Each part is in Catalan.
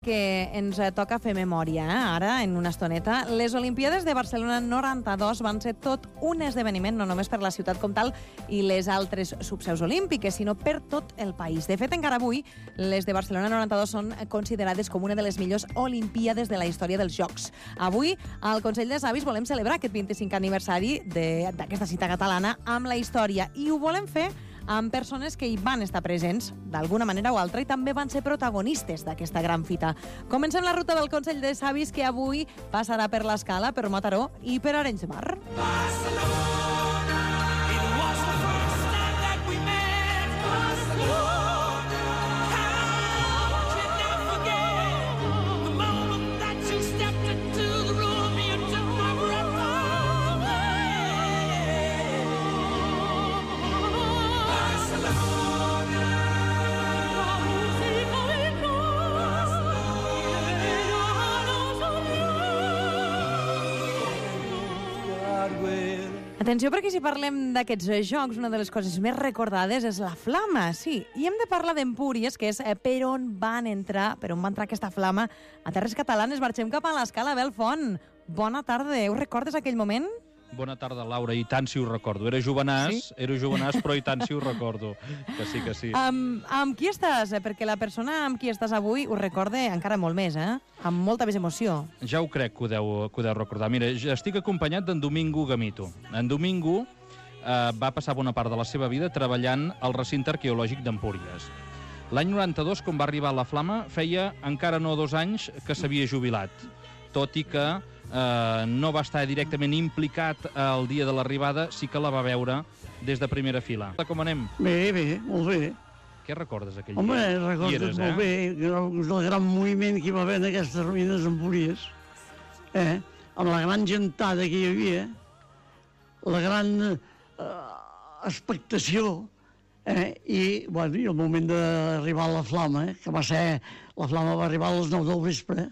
Que ens toca fer memòria, ara, en una estoneta. Les Olimpíades de Barcelona 92 van ser tot un esdeveniment, no només per la ciutat com tal i les altres subseus olímpiques, sinó per tot el país. De fet, encara avui, les de Barcelona 92 són considerades com una de les millors Olimpíades de la història dels Jocs. Avui, al Consell de Savis, volem celebrar aquest 25è aniversari d'aquesta cita catalana amb la història, i ho volem fer amb persones que hi van estar presents d'alguna manera o altra i també van ser protagonistes d'aquesta gran fita. Comencem la ruta del Consell de Savis, que avui passarà per l'Escala, per Mataró i per Arenys de Mar. Atenció, perquè si parlem d'aquests jocs, una de les coses més recordades és la flama, sí. I hem de parlar d'Empúries, que és per on va entrar aquesta flama a terres catalanes. Marxem cap a l'Escala. Belfont, bona tarda. Ho recordes aquell moment? Bona tarda, Laura, i tant si ho recordo. Era jovenàs, però i tant si ho recordo. Que sí, que sí. Amb qui estàs? Perquè la persona amb qui estàs avui ho recorde encara molt més, amb molta més emoció. Ja ho crec que ho deu recordar. Mira, estic acompanyat d'en Domingo Gamito. En Domingo va passar bona part de la seva vida treballant al recinte arqueològic d'Empúries. L'any 92, quan va arribar la flama, feia encara no 2 anys que s'havia jubilat, tot i que no va estar directament implicat el dia de l'arribada, sí que la va veure des de primera fila. Com anem? Bé, molt bé. Què recordes aquell dia? dia? Recordo molt bé el gran moviment que hi va haver en aquestes ruïnes d'Empúries, amb la gran gentada que hi havia, la gran expectació, i el moment d'arribar a la flama, que va ser, la flama va arribar a les 9 del vespre,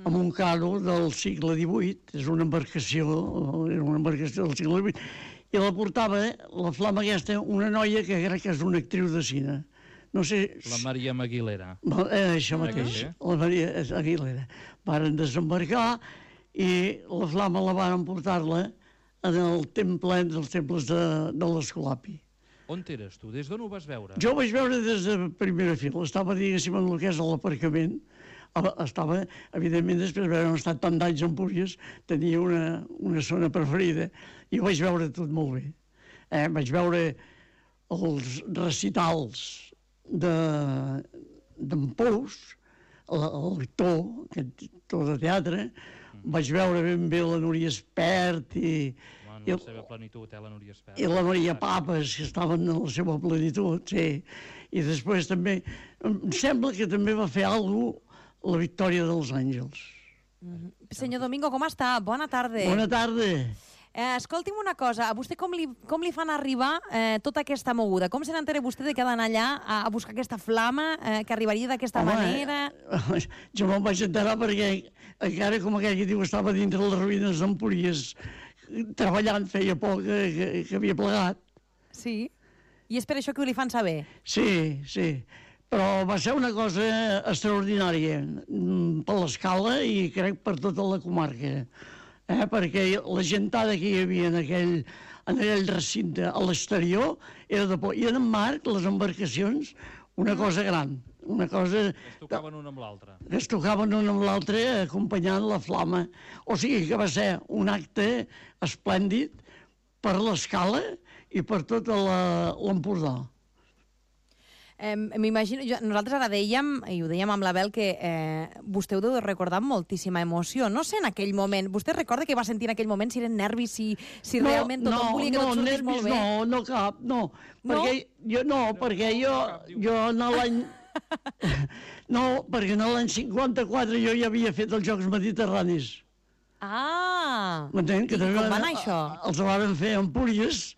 amb un carro del segle XVIII, és una embarcació del segle XVIII, i la portava, la flama aquesta, una noia que crec que és una actriu de cine. No sé... La Maria Aguilera. Això mateix, la Maria Aguilera. Varen desembarcar i la flama la varen portar-la en el temple, dels temples de l'Escolapi. On eres tu? Des d'on ho vas veure? Jo ho vaig veure des de primera fila. Estava, diguéssim, en el que és l'aparcament. Estava, evidentment, després d'haver estat tant d'anys a Empúries, tenia una zona preferida i ho vaig veure tot molt bé. Vaig veure els recitals d'en Pous, l'actor, aquest actor de teatre, vaig veure ben bé la Núria Espert i la seva plenitud, la Núria Espert. I la Maria Papes, que estaven en la seva plenitud, sí. I després també, em sembla que també va fer alguna cosa la Victòria dels Àngels. Senyor Domingo, com està? Bona tarda. Bona tarda. Escolti'm una cosa, a vostè com li fan arribar tota aquesta moguda? Com se n'entera vostè de que ha d'anar allà a buscar aquesta flama, que arribaria d'aquesta manera? Jo me'n vaig enterar perquè encara, com aquell que diu, estava dintre les ruïnes d'Empúries, treballant, feia poc que havia plegat. Sí? I és per això que ho li fan saber? Sí. Però va ser una cosa extraordinària per l'Escala i crec per tota la comarca, perquè la gentada que hi havia en aquell recinte a l'exterior era de por. I en Marc, les embarcacions, una cosa gran. Una cosa... Es tocaven una amb l'altra. Es tocaven una amb l'altra acompanyant la flama. O sigui que va ser un acte esplèndid per l'Escala i per tot l'Empordà. M'imagino, nosaltres ara dèiem, i ho dèiem amb la Bel, que vostè ho deu recordar amb moltíssima emoció. No sé, en aquell moment, vostè recorda que va sentir en aquell moment, si eren nervis, si realment tothom volia que tot sortís molt bé? No, cap, no. Perquè jo no l'any... No, perquè en l'any 54 jo ja havia fet els Jocs Mediterranis. I com va anar això? Els van fer a Empúries.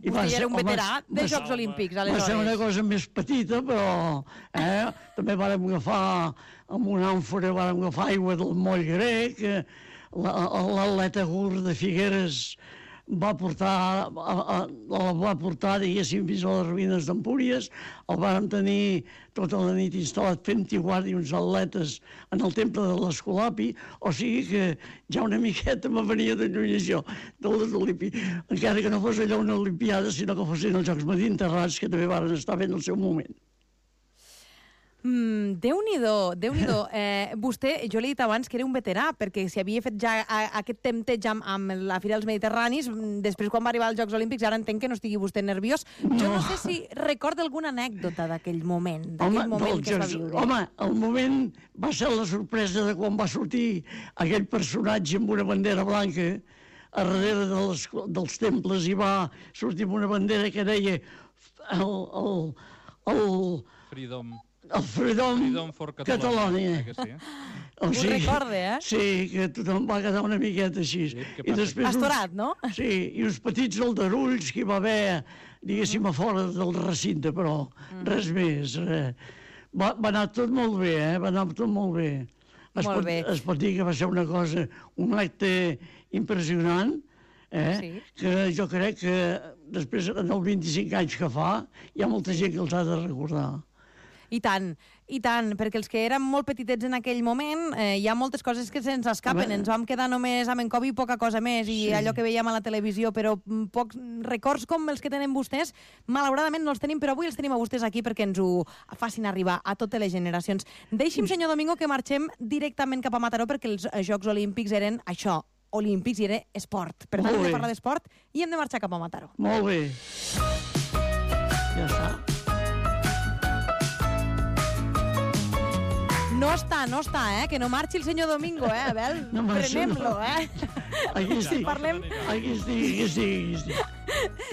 Vostè era un veterà de Jocs Olímpics, aleshores. Va ser una cosa més petita, però també vàrem agafar, amb una àmfora, vàrem agafar aigua del moll grec, l'atleta Gur de Figueres va portar, diguéssim, fins a les ruïnes d'Empúries. El vàrem tenir tota la nit instal·lat fent-hi guàrdia uns atletes en el temple de l'Escolapi, o sigui que ja una miqueta me venia de lluny això, de les Olimpiades, encara que no fos allò una Olimpiada, sinó que fossin els Jocs Mediterranis, que també van estar fent el seu moment. Déu-n'hi-do, Déu-n'hi-do. Vostè, jo li he dit abans que era un veterà, perquè si havia fet ja aquest tempteig amb la Fira dels Mediterranis, després quan va arribar als Jocs Olímpics, ara entenc que no estigui vostè nerviós. Jo no sé si recorda alguna anècdota d'aquell moment, que es va viure. Home, el moment va ser la sorpresa de quan va sortir aquell personatge amb una bandera blanca a darrere dels temples, i va sortir amb una bandera que deia el Freedom for Catalonia. Ho recorde, eh? Sí, que tothom va quedar una miqueta així. Pastorat, no? Sí, i uns petits aldarulls que hi va haver, diguéssim, a fora del recinte, però res més. Va anar tot molt bé, va anar tot molt bé. Es pot dir que va ser una cosa, un acte impressionant, que jo crec que després, en els 25 anys que fa, hi ha molta gent que els ha de recordar. I tant, perquè els que érem molt petitets en aquell moment, hi ha moltes coses que se'ns escapen. Ens vam quedar només amb en Covid i poca cosa més, i allò que veiem a la televisió, però pocs records com els que tenen vostès, malauradament no els tenim, però avui els tenim a vostès aquí perquè ens ho facin arribar a totes les generacions. Deixi'm, senyor Domingo, que marxem directament cap a Mataró, perquè els Jocs Olímpics eren això, olímpics, i era esport. Per tant, hem de parlar d'esport i hem de marxar cap a Mataró. Molt bé. Ja està. No està, que no marxi el senyor Domingo, a veure, prenem-lo, Aquí estic.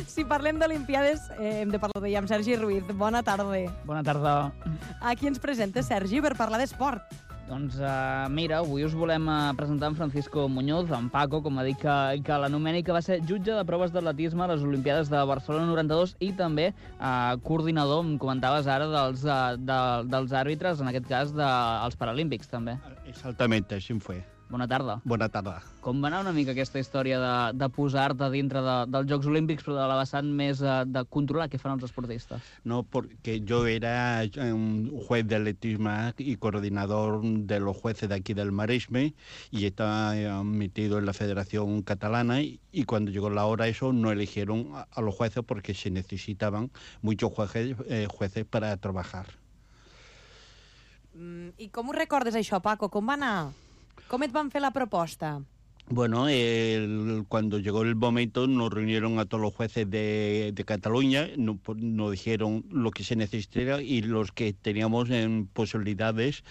Si parlem d'Olimpiades, hem de parlar d'ella amb Sergi Ruiz. Bona tarda. Bona tarda. Aquí ens presenta, Sergi, per parlar d'esport. Doncs mira, avui us volem presentar en Francisco Muñoz, en Paco, com ha dit que l'anomeni, que va ser jutge de proves d'atletisme a les Olimpiades de Barcelona 92 i també coordinador, em comentaves ara, dels àrbitres, en aquest cas dels Paralímpics, també. Exactamente, així fue. Bona tarda. Bona tarda. Com va anar una mica aquesta història de posar-te dintre dels Jocs Olímpics, però de la vessant més de controlar què fan els esportistes? No, porque yo era un juez de atletismo y coordinador de los jueces de aquí del Maresme, y estaba metido en la Federación Catalana, y cuando llegó la hora eso no eligieron a los jueces porque se necesitaban muchos jueces para trabajar. I com ho recordes això, Paco? Com va anar? ¿Cómo van a hacer la propuesta? Bueno, cuando llegó el momento nos reunieron a todos los jueces de Cataluña, nos dijeron lo que se necesitara y los que teníamos posibilidades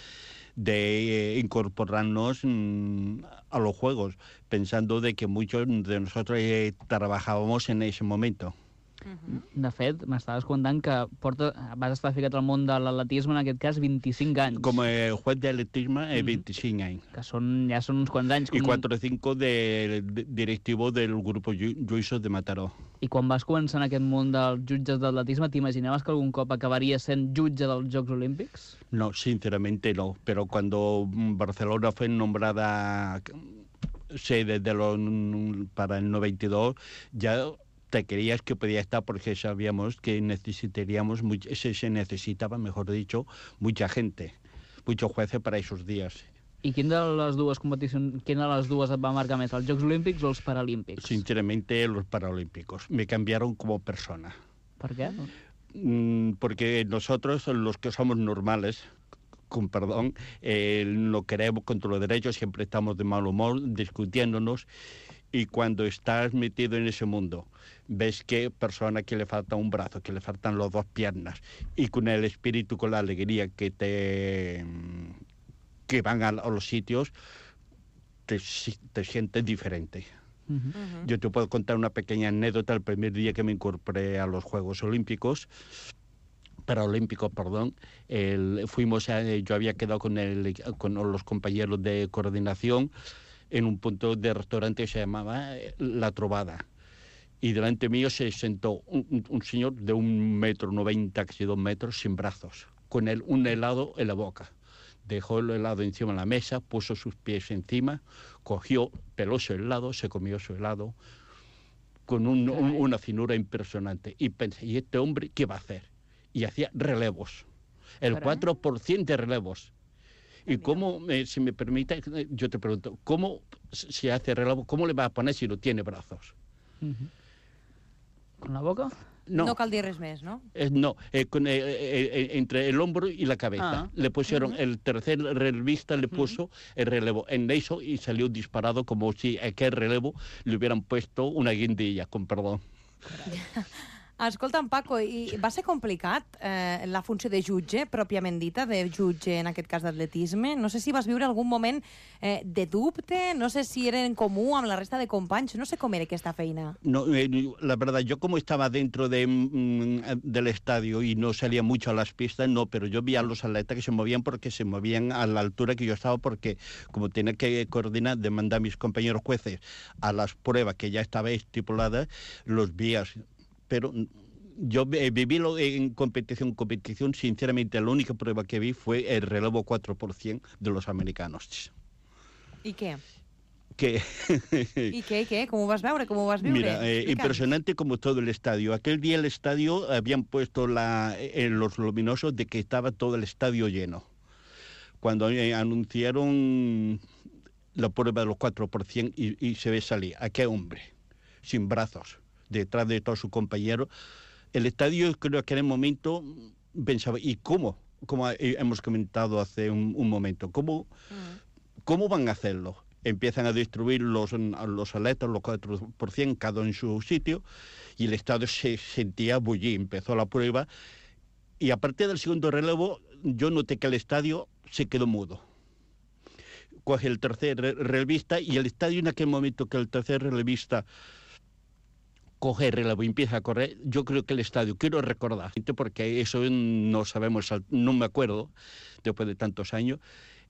de incorporarnos a los Juegos, pensando de que muchos de nosotros trabajábamos en ese momento. De fet, m'estaves contant que vas estar ficat al món de l'atletisme, en aquest cas, 25 anys. Com a juez de atletisme, 25 anys. Que ja són uns quants anys. I 4 o 5 de directivo del grup Lluïsos de Mataró. I quan vas començar en aquest món dels jutges d'atletisme, t'imaginaves que algun cop acabaria sent jutge dels Jocs Olímpics? No, sinceramente no. Pero cuando Barcelona fue nombrada sede para el 92, ya te creías que podía estar porque sabíamos que se necesitaba, mejor dicho, mucha gente, muchos jueces para esos días. I quina de les dues competicions, quina de les dues et va marcar més, els Jocs Olímpics o els Paralímpics? Sinceramente, los Paralímpicos. Me cambiaron como persona. ¿Por qué? Porque nosotros, los que somos normales, con perdón, no queremos contra los derechos, siempre estamos de mal humor, discutiéndonos. Y cuando estás metido en ese mundo, ves que persona que le falta un brazo, que le faltan las 2 piernas, y con el espíritu, con la alegría que van a los sitios, te sientes diferente. Yo te puedo contar una pequeña anécdota. El primer día que me incorporé a los Juegos Olímpicos, Paralímpicos, perdón, yo había quedado con los compañeros de coordinación en un punto de restaurante que se llamaba La Trovada. Y delante mío se sentó un señor de 1,90 m, casi 2 metros, sin brazos, con un helado en la boca. Dejó el helado encima de la mesa, puso sus pies encima, peló su helado, se comió su helado. con una finura impresionante. Y pensé, ¿y este hombre qué va a hacer? Y hacía relevos, el 4% de relevos. Y cómo, si me permite, yo te pregunto, ¿cómo se hace relevo? ¿Cómo le va a poner si no tiene brazos? ¿Con la boca? No cal dir res més, no? No, entre el hombro y la cabeza. Le pusieron, el tercer relevista le puso el relevo en eso y salió disparado como si a aquel relevo le hubieran puesto una guindilla, con perdón. Escolta'm, Paco, i va ser complicat la funció de jutge, pròpiament dita, de jutge en aquest cas d'atletisme? No sé si vas viure algun moment de dubte, no sé si era en comú amb la resta de companys, no sé com era aquesta feina. No, la verdad, yo como estaba dentro del estadio y no salía mucho a las pistas, no, pero yo vi a los atletas que se movían porque se movían a la altura que yo estaba, porque como tenía que coordinar, demandar a mis compañeros jueces a las pruebas que ya estaba estipuladas, los vi así. Pero yo viví en competición, sinceramente, la única prueba que vi fue el relevo 4% de los americanos. ¿Y qué? ¿Qué? ¿Y qué? ¿Cómo vas a ver? ¿Cómo vas a vivir? Mira, impresionante como todo el estadio. Aquel día el estadio habían puesto los luminosos de que estaba todo el estadio lleno. Cuando anunciaron la prueba de los 4% y se ve salir aquel hombre, sin brazos, detrás de todo su compañero. El estadio, creo que en el momento pensaba, ¿y cómo? Como hemos comentado hace un momento, ¿cómo van a hacerlo? Empiezan a destruir los atletas, los 4%, cada uno en su sitio, y el estadio se sentía bullir. Empezó la prueba, y a partir del segundo relevo, yo noté que el estadio se quedó mudo. Coge el tercer relevista, y el estadio en aquel momento que el tercer relevista coge el relevo y empieza a correr, yo creo que el estadio, quiero recordar, porque eso no sabemos, no me acuerdo, después de tantos años,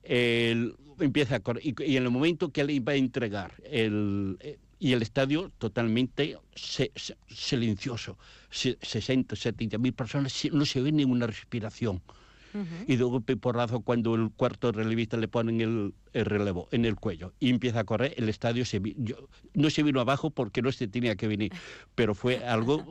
empieza a correr, y en el momento que le iba a entregar, y el estadio totalmente silencioso, 60, 70 mil personas, no se ve ninguna respiración. Y de golpe y porrazo, cuando el cuarto relevista le ponen el relevo en el cuello y empieza a correr, el estadio no se vino abajo porque no se tenía que venir, pero fue algo,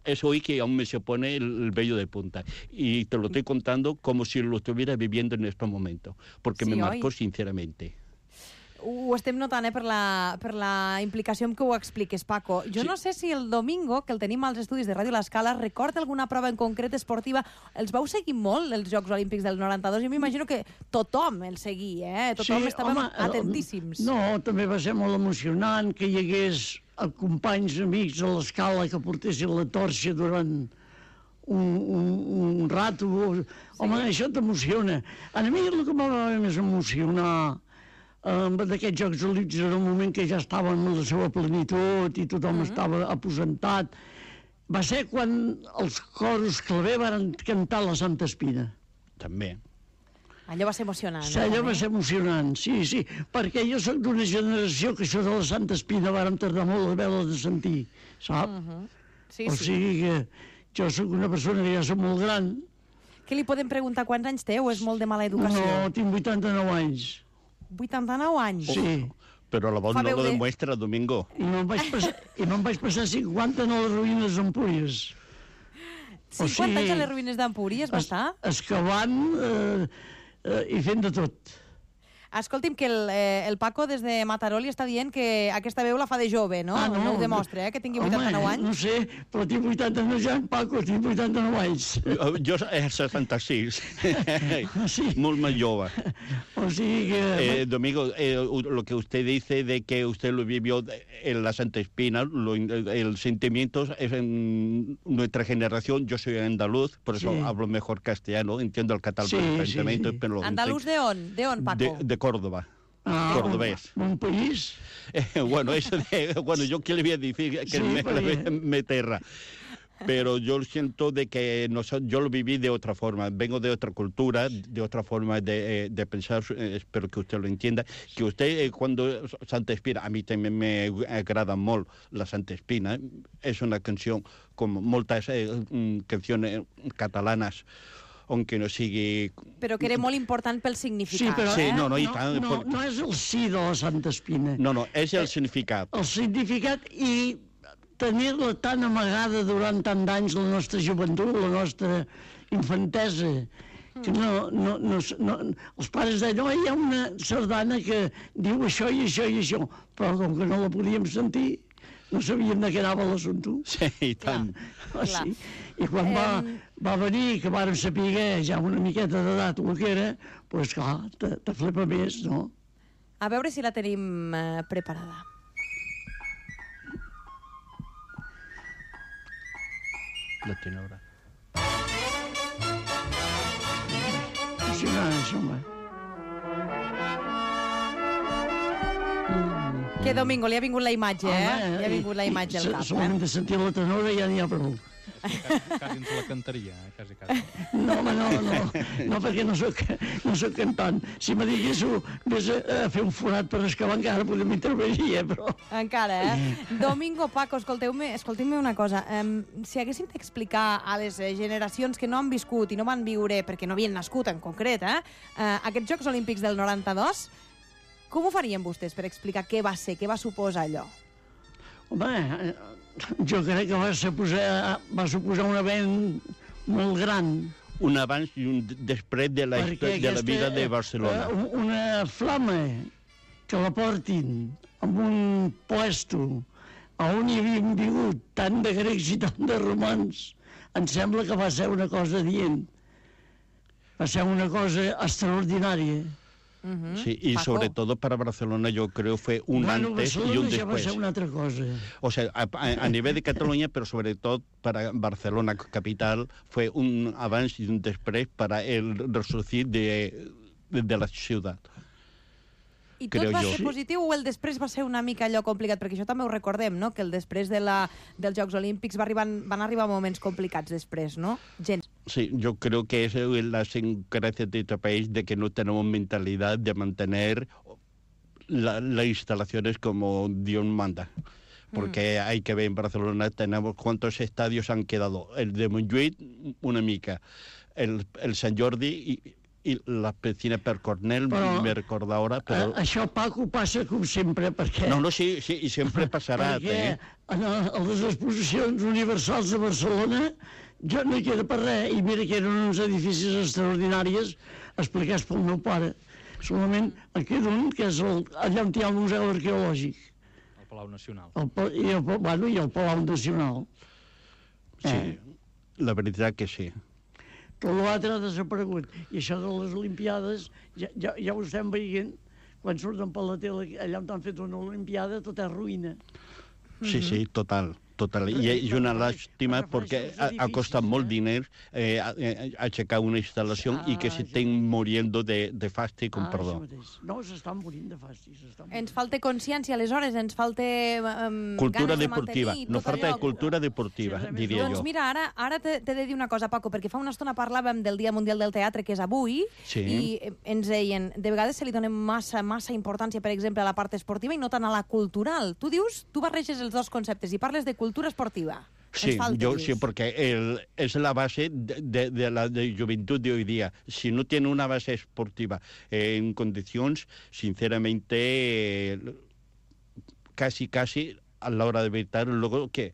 eso hoy que aún me se pone el vello de punta. Y te lo estoy contando como si lo estuviera viviendo en estos momentos, porque me marcó sinceramente. Ho estem notant, per la implicació amb què ho expliques, Paco. Jo no sé si el Domingo, que el tenim als estudis de Ràdio L'Escala, recorda alguna prova en concret esportiva. Els vau seguir molt, els Jocs Olímpics del 92? Jo m'imagino que tothom el seguia, Tothom estàvem atentíssims. No, també va ser molt emocionant que hi hagués companys, amics a l'Escala que portessin la torxa durant un rato. Home, això t'emociona. A mi el que em va més emocionar d'aquests Jocs Olímpics en un moment que ja estaven en la seva plenitud i tothom estava aposentat, va ser quan els coros claver van cantar la Santa Espina. També. Allò va ser emocionant. Sí, allò va ser emocionant, sí, perquè jo soc d'una generació que això de la Santa Espina vàrem tardar molt a haver-la de sentir, sap? O sigui que jo soc una persona que ja soc molt gran. Què li podem preguntar? Quants anys té o és molt de mala educació? No, tinc 89 anys. 89 anys? Sí. Pero la voz no lo demuestra, Domingo. I me'n vaig passar 50 en les ruïnes d'Empúries. 50 anys a les ruïnes d'Empúries va estar? Excavant i fent de tot. Escolti'm, que el Paco des de Mataró li està dient que aquesta veu la fa de jove, no? No ho demostra, que tingui 89 anys. No sé, però tinc 89 anys, Paco, tinc 89 anys. Jo 66. Molt más jove. O sigui que... Domingo, lo que usted dice de que usted lo vivió en la Santa Espina, el sentimiento es en nuestra generación. Yo soy andaluz, por eso hablo mejor castellano, entiendo el catalán perfectamente. ¿Andaluz de on? ¿De on, Paco? De Córdoba. Cordobés. ¿Un país? Bueno, eso yo qué le voy a decir que me terra. Pero yo siento de que yo lo viví de otra forma, vengo de otra cultura, de otra forma de pensar, espero que usted lo entienda, que usted cuando Santa Espina, a mí también me agrada molt la Santa Espina, és una canció com moltes canciones catalanes, aunque no sigui... Però que era molt important pel significat. Sí, però no és el sí de la Santa Espina. No, és el significat. El significat i tenir-la tan amagada durant tant d'anys, la nostra joventut, la nostra infantesa, que els pares deien, oh, hi ha una sardana que diu això i això i això, però com que no la podíem sentir, no sabíem de què anava l'assumpte. Sí, i tant. Sí. I quan va venir, que vàrem saber ja una miqueta d'edat el que era, doncs clar, te flipa més, no? A veure si la tenim preparada. La tenora. Impressionant, això, home. Que Domingo, li ha vingut la imatge, Li ha vingut la imatge al cap. Solament de sentir la tenora ja n'hi ha prou. Quasi ens la cantaria, quasi. No, home, no, perquè no soc cantant. Si me diguéssiu, vés a fer un forat per excavar encara, podem intervenir, però... Encara, Domingo, Paco, escolteu-me una cosa. Si haguéssim d'explicar a les generacions que no han viscut i no van viure, perquè no havien nascut en concret, aquests Jocs Olímpics del 92, com ho farien vostès per explicar què va ser, què va suposar allò? Home, jo crec que va suposar un event molt gran. Un abans i un després de la vida de Barcelona. Una flama que la portin en un puesto on hi havien vingut tant de grecs i tant de romans, em sembla que va ser una cosa dient. Va ser una cosa extraordinària. Sí, y Paco. sobre todo para Barcelona yo creo fue un antes y un ja va después. ser una altra cosa. O sea, a nivel de Cataluña, pero sobre todo para Barcelona capital, fue un avance y un después para el resurgir de la ciudad. I tot va ser positiu o el després va ser una mica allò complicat? Perquè això també ho recordem, no?, que el després dels Jocs Olímpics van arribar moments complicats després, no? Sí, yo creo que es la gracia de este país de que no tenemos mentalidad de mantener las instalaciones como Dios manda. Porque hay que ver en Barcelona tenemos cuántos estadios han quedado. El de Montjuïc, una mica. El Sant Jordi i la piscina per Cornell, me recorda ara, però... Això, Paco, passa com sempre, perquè... No, sí, i sempre passarà. Perquè a les exposicions universals de Barcelona jo no hi queda per res, i mira que eren uns edificis extraordinaris explicats pel meu pare. Solament en queda un, que és allà on hi ha el Museu Arqueològic. El Palau Nacional. I el Palau Nacional. Sí, la veritat que sí. Tot l'altre ha desaparegut. I això de les Olimpiades, ja ho estem veient, quan surten per la tele, allà on han fet una Olimpiada, tot és ruïna. Sí, total. I és una lástima perquè ha costat molt diners aixecar una instal·lació i que s'estan moriendo de fàstic, com perdó. No, s'estan morint de fàstic. Ens falta consciència, aleshores, ens falta cultura ganes de deportiva. mantenir No falta de cultura deportiva, diria jo. Doncs mira, ara t'he de dir una cosa, Paco, perquè fa una estona parlàvem del Dia Mundial del Teatre, que és avui, i ens deien, de vegades se li dona massa importància, per exemple, a la part esportiva i no tant a la cultural. Tu barreges els dos conceptes i parles de cultura esportiva. Sí, porque es la base de la juventud de hoy día. Si no tiene una base esportiva en condiciones, sinceramente, casi a la hora de evitar, luego que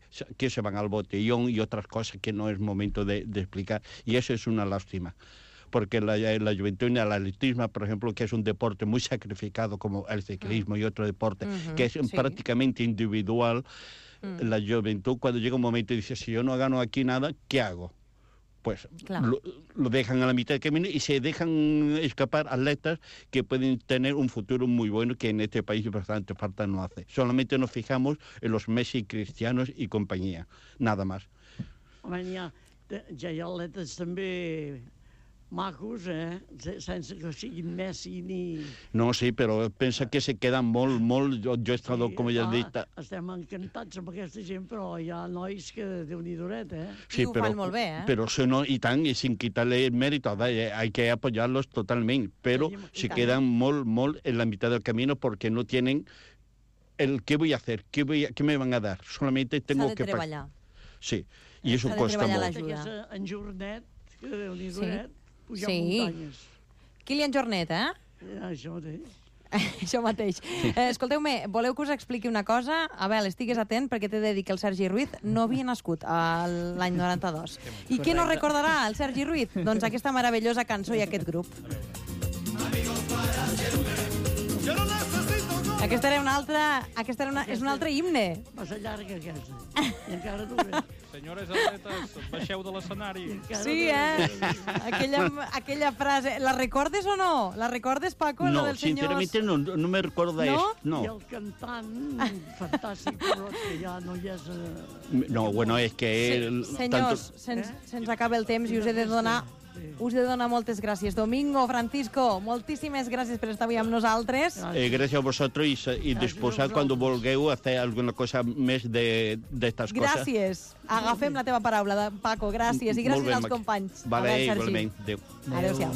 se van al botellón y otras cosas que no es momento de explicar. Y eso es una lástima. Porque la juventud y el atletismo, por ejemplo, que es un deporte muy sacrificado como el ciclismo y otro deporte, que es prácticamente individual, la juventud cuando llega un momento y dice, si yo no gano aquí nada, ¿qué hago? Pues lo dejan a la mitad del camino y se dejan escapar atletas que pueden tener un futuro muy bueno, que en este país bastante falta no hace. Solamente nos fijamos en los Messi, Cristianos y compañía, nada más. Home, ja hi ha atletes també macos, sense que siguin Messi ni... No, sí, però pensa que se queden molt... Jo he estat, com ja he dit... Estem encantats amb aquesta gent, però hi ha nois que Déu-n'hi-doret, Sí, ho fan molt bé, Però si no, y tan, y sin quitarle el mérito, hay que apoyarlos totalmente, pero se quedan molt en la mitad del camino porque no tienen el ¿qué voy a hacer? ¿Qué me van a dar? Solamente tengo que... treballar. Sí, i això costa molt. En Jornet, que Déu-n'hi-doret, pujar muntanyes. Kilian Jornet, Això mateix. Això mateix. Escolteu-me, voleu que us expliqui una cosa? Abel, estigues atent perquè t'he de dir que el Sergi Ruiz no havia nascut l'any 92. I què no recordarà el Sergi Ruiz? Doncs aquesta meravellosa cançó i aquest grup. Aquesta era una altra... és un altre himne. Massa llarga, aquesta. I encara dura. Senyores atletes, baixeu de l'escenari. Sí, aquella frase. La recordes o no? La recordes, Paco, No, la del senyor... sinceramente no me recorda ¿No? eso. No. I el cantant, fantàstic, però que ja no hi és... No, bueno, es que... Senyors, se'ns acaba el temps i us he de donar moltes gràcies. Domingo, Francisco, moltíssimes gràcies per estar avui amb nosaltres. Gracias a vosotros y después cuando volgueu a hacer alguna cosa més d'estas coses. Gràcies. Agafem la teva paraula, Paco, gràcies. I gràcies als companys. Vale, Sergi. igualment. Adéu. Adéu-siau.